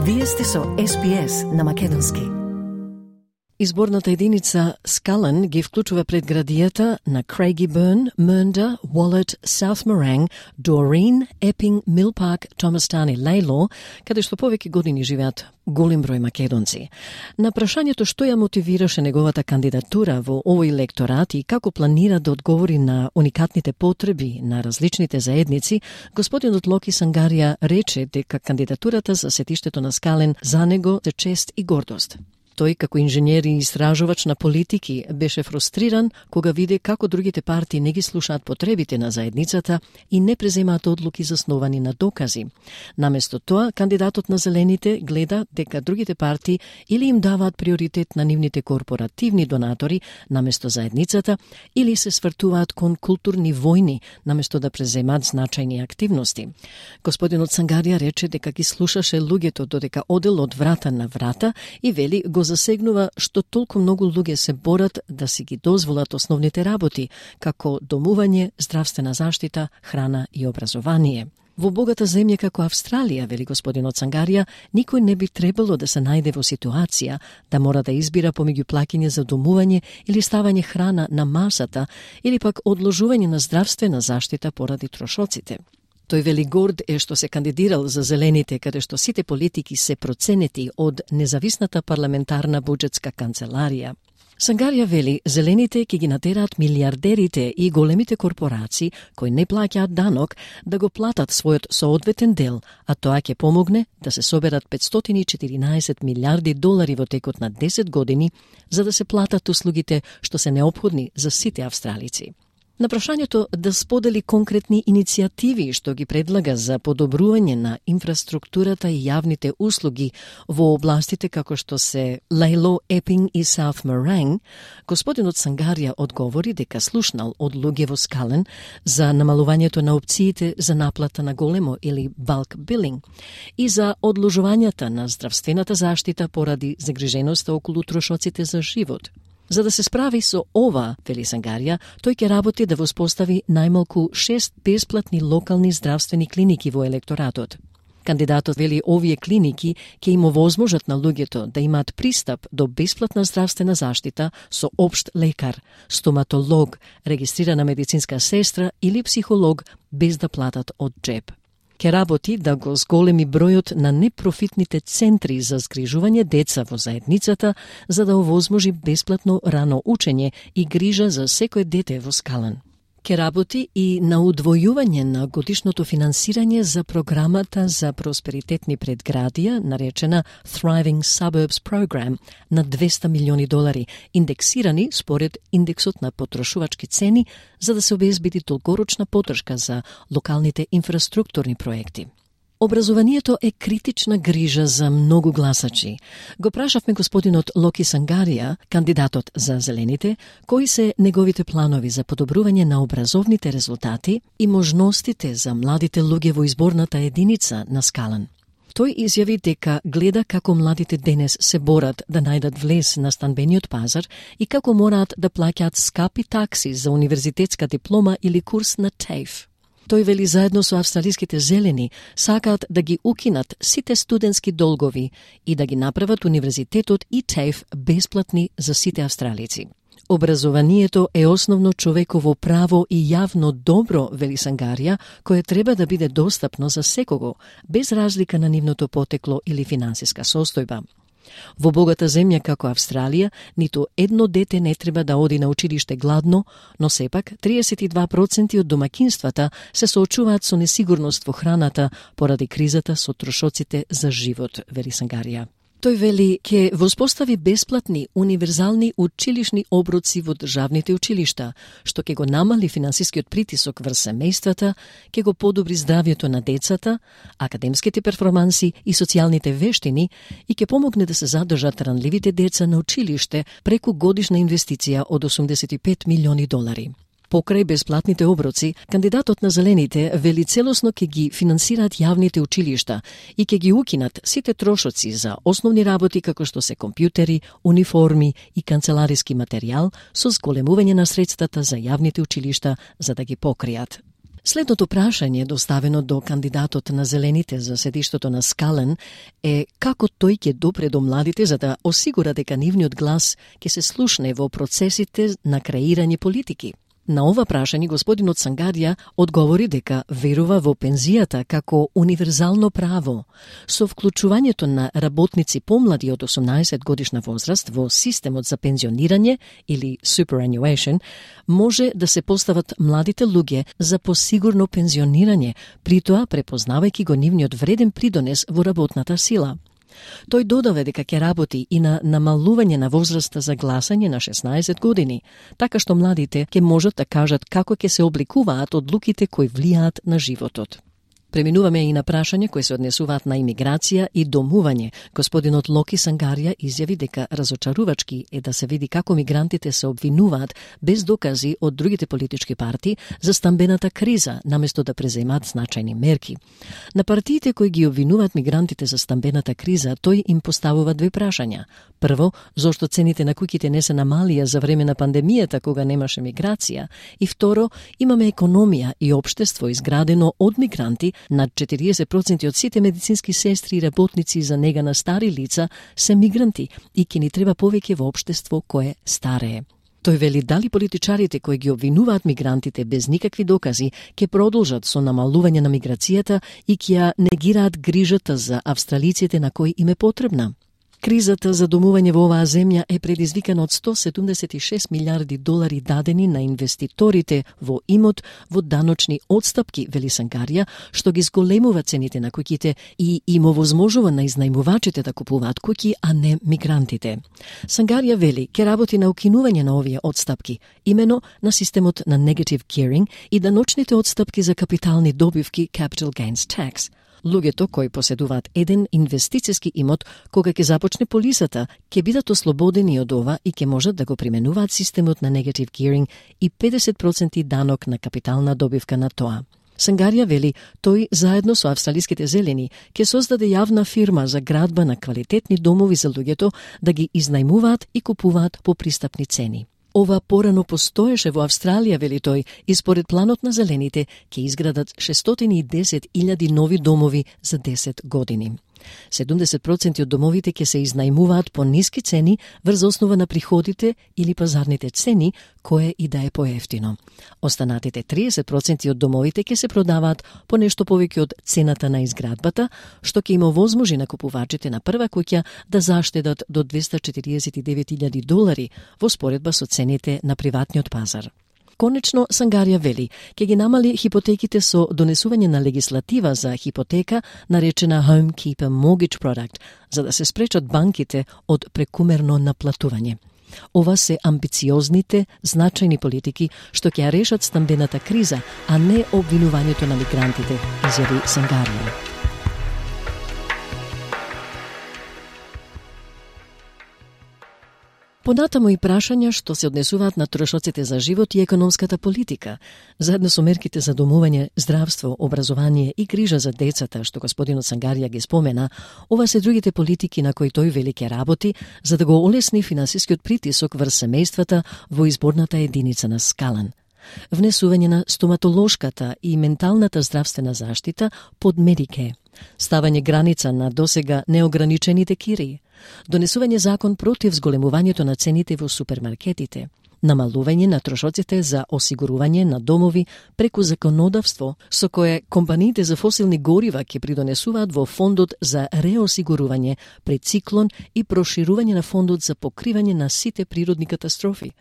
Вие сте со SPS на македонски. Изборната единица Скален ги вклучува предградијата на Craigieburn, Mernda, Wallet, South Morang, Doreen, Epping, Mill Park, Thomastown и Laylaw, каде што повеќе години живеат голем број македонци. На прашањето што ја мотивираше неговата кандидатура во овој електорат и како планира да одговори на уникатните потреби на различните заедници, господинот Локи Сангарија рече дека кандидатурата за сетиштето на Скален за него е чест и гордост. Тој, како инженер и истражувач на политики, беше фрустриран кога виде како другите партии не ги слушаат потребите на заедницата и не преземаат одлуки засновани на докази. Наместо тоа, кандидатот на Зелените гледа дека другите партии или им даваат приоритет на нивните корпоративни донатори наместо заедницата, или се свртуваат кон културни војни наместо да преземаат значајни активности. Господинот Сангарија рече дека ги слушаше луѓето додека одел од врата на врата и вели го засегнува што толку многу луѓе се борат да си ги дозволат основните работи, како домување, здравствена заштита, храна и образование. Во богата земја како Австралија, вели господинот Сангарија, никој не би требало да се најде во ситуација да мора да избира помеѓу плаќање за домување или ставање храна на масата или пак одложување на здравствена заштита поради трошоците. Тој вели горд е што се кандидирал за Зелените, каде што сите политики се проценети од независната парламентарна буџетска канцеларија. Сангарија вели, Зелените ќе ги натераат милиардерите и големите корпорации кои не плаќаат данок да го платат својот соодветен дел, а тоа ќе помогне да се соберат 514 милиарди долари во текот на 10 години за да се платат услугите што се неопходни за сите австралици. На прашањето да сподели конкретни иницијативи што ги предлага за подобрување на инфраструктурата и јавните услуги во областите како што се Laylaw, Epping и South Morang, господинот Сангарија одговори дека слушнал од луѓе во Скален за намалувањето на опциите за наплата на големо или bulk billing и за одложувањата на здравствената заштита поради загриженоста околу трошоците за живот. За да се справи со ова, вели Сангарија, тој ќе работи да воспостави најмалку 6 бесплатни локални здравствени клиники во електоратот. Кандидатот вели овие клиники ќе им овозможат на луѓето да имаат пристап до бесплатна здравствена заштита со општ лекар, стоматолог, регистрирана медицинска сестра или психолог без да платат од джеб. Ке работи да го зголеми бројот на непрофитните центри за згрижување деца во заедницата за да овозможи бесплатно рано учење и грижа за секој дете во Скален. Ке работи и на удвојување на годишното финансирање за програмата за просперитетни предградија, наречена Thriving Suburbs Program, на 200 милиони долари, индексирани според индексот на потрошувачки цени, за да се обезбеди долгорочна поддршка за локалните инфраструктурни проекти. Образованието е критична грижа за многу гласачи. Го прашавме господинот Локи Сангарија, кандидатот за Зелените, кои се неговите планови за подобрување на образовните резултати и можностите за младите луѓе во изборната единица на Скален. Тој изјави дека гледа како младите денес се борат да најдат влез на станбениот пазар и како мораат да плаќаат скапи такси за универзитетска диплома или курс на TAFE. Тој вели заедно со австралиските зелени сакаат да ги укинат сите студентски долгови и да ги направат универзитетот и TAFE бесплатни за сите австралици. Образованието е основно човеково право и јавно добро, вели Сангарија, кое треба да биде достапно за секого, без разлика на нивното потекло или финансиска состојба. Во богата земја како Австралија, ниту едно дете не треба да оди на училиште гладно, но сепак 32% од домаќинствата се соочуваат со несигурност во храната поради кризата со трошоците за живот, вели Сангарија. Тој вели ќе воспостави бесплатни универзални училишни оброци во државните училишта, што ќе го намали финансискиот притисок врз семејствата, ќе го подобри здравјето на децата, академските перформанси и социјалните вештини и ќе помогне да се задржат ранливите деца на училиште преку годишна инвестиција од 85 милиони долари. Покрај бесплатните оброци, кандидатот на Зелените вели целосно ќе ги финансираат јавните училишта и ќе ги укинат сите трошоци за основни работи како што се компјутери, униформи и канцелариски материјал со зголемување на средствата за јавните училишта за да ги покријат. Следното прашање, доставено до кандидатот на Зелените за седиштето на Скален, е како тој ќе допре до младите за да осигура дека нивниот глас ќе се слушне во процесите на креирање политики. На ова прашање господинот Сангарија одговори дека верува во пензијата како универзално право. Со вклучувањето на работници помлади од 18 годишна возраст во системот за пензионирање или superannuation, може да се постават младите луѓе за посигурно пензионирање, при тоа препознавајќи го нивниот вреден придонес во работната сила. Тој додава дека ќе работи и на намалување на возраста за гласање на 16 години, така што младите ќе можат да кажат како ќе се обликуваат одлуките кои влијаат на животот. Преминуваме и на прашања кои се однесуваат на имиграција и домување. Господинот Локи Сангарија изјави дека разочарувачки е да се види како мигрантите се обвинуваат без докази од другите политички партии за стамбената криза, наместо да преземат значајни мерки. На партиите кои ги обвинуваат мигрантите за стамбената криза, тој им поставува две прашања. Прво, зошто цените на куќите не се намалија за време на пандемијата кога немаше миграција? И второ, имаме економија и општество изградено од мигранти. Над 40% од сите медицински сестри и работници за нега на стари лица се мигранти и ќе ни треба повеќе во општество кое старее. Тој вели дали политичарите кои ги обвинуваат мигрантите без никакви докази ќе продолжат со намалување на миграцијата и ќе ја негираат грижата за австралиците на кои им е потребна. Кризата за домување во оваа земја е предизвикана од 176 милиарди долари дадени на инвеститорите во имот во даночни отстапки, вели Сангарија, што ги зголемува цените на куќите и им овозможува на изнајмувачите да купуваат куќи, а не мигрантите. Сангарија вели ќе работи на укинување на овие отстапки, имено на системот на negative gearing и даночните отстапки за капитални добивки capital gains tax. Луѓето кои поседуваат еден инвестициски имот, кога ќе започне полисата, ќе бидат ослободени од ова и ќе можат да го применуваат системот на negative gearing и 50% данок на капитална добивка на тоа. Сангарија вели, тој заедно со австралиските зелени ќе создаде јавна фирма за градба на квалитетни домови за луѓето да ги изнајмуваат и купуваат по пристапни цени. Ова порано постоеше во Австралија, вели тој, и според планот на зелените ќе изградат 610.000 нови домови за 10 години. 70% од домовите ќе се изнајмуваат по ниски цени врз основа на приходите или пазарните цени, кое и да е поевтино. Останатите 30% од домовите ќе се продаваат по нешто повеќе од цената на изградбата, што ќе им овозможи на купувачите на прва куќа да заштедат до $249,000 во споредба со цените на приватниот пазар. Конечно, Сангарија вели, ќе ги намали хипотеките со донесување на легислатива за хипотека, наречена Homekeeper Mortgage Product, за да се спречат банките од прекумерно наплатување. Ова се амбициозните, значајни политики што ќе ја решат стамбената криза, а не обвинувањето на мигрантите, изјави Сангарија. Понатаму и прашања што се однесуваат на трошоците за живот и економската политика, заедно со мерките за домување, здравство, образование и грижа за децата, што господинот Сангарија ги спомена, ова се другите политики на кои тој вели ќе работи, за да го олесни финансискиот притисок врз семејствата во изборната единица на Скален. Внесување на стоматолошката и менталната здравствена заштита под Медике, ставање граница на досега неограничените кирии, донесување закон против зголемувањето на цените во супермаркетите, намалување на трошоците за осигурување на домови преку законодавство со кое компаниите за фосилни горива ќе придонесуваат во фондот за реосигурување пред циклон и проширување на фондот за покривање на сите природни катастрофи,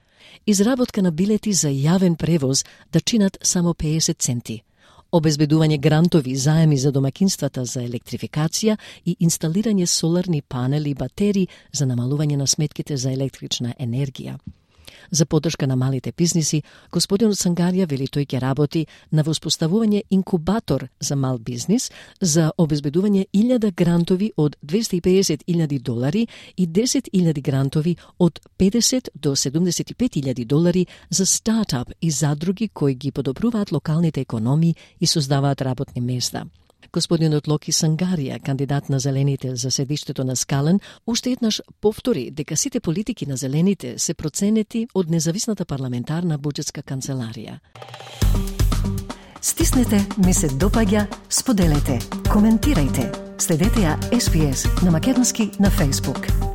изработка на билети за јавен превоз да чинат само 50 центи, обезбедување грантови заеми за домакинствата за електрификација и инсталирање соларни панели и батерии за намалување на сметките за електрична енергија. За поддршка на малите бизниси, господинот Сангарија вели тој ќе работи на воспоставување инкубатор за мал бизнис, за обезбедување 1000 грантови од $250,000 и 10,000 грантови од $50 до $75,000 за стартап и задруги кои ги подобруваат локалните економии и создаваат работни места. Господинот Локи Сангарија, кандидат на Зелените за седиштето на Скален, уште еднаш повтори дека сите политики на Зелените се проценети од независната парламентарна буџетска канцеларија. Стиснете ми се допаѓа, споделете, коментирајте. Следете ја SPS на македонски на Facebook.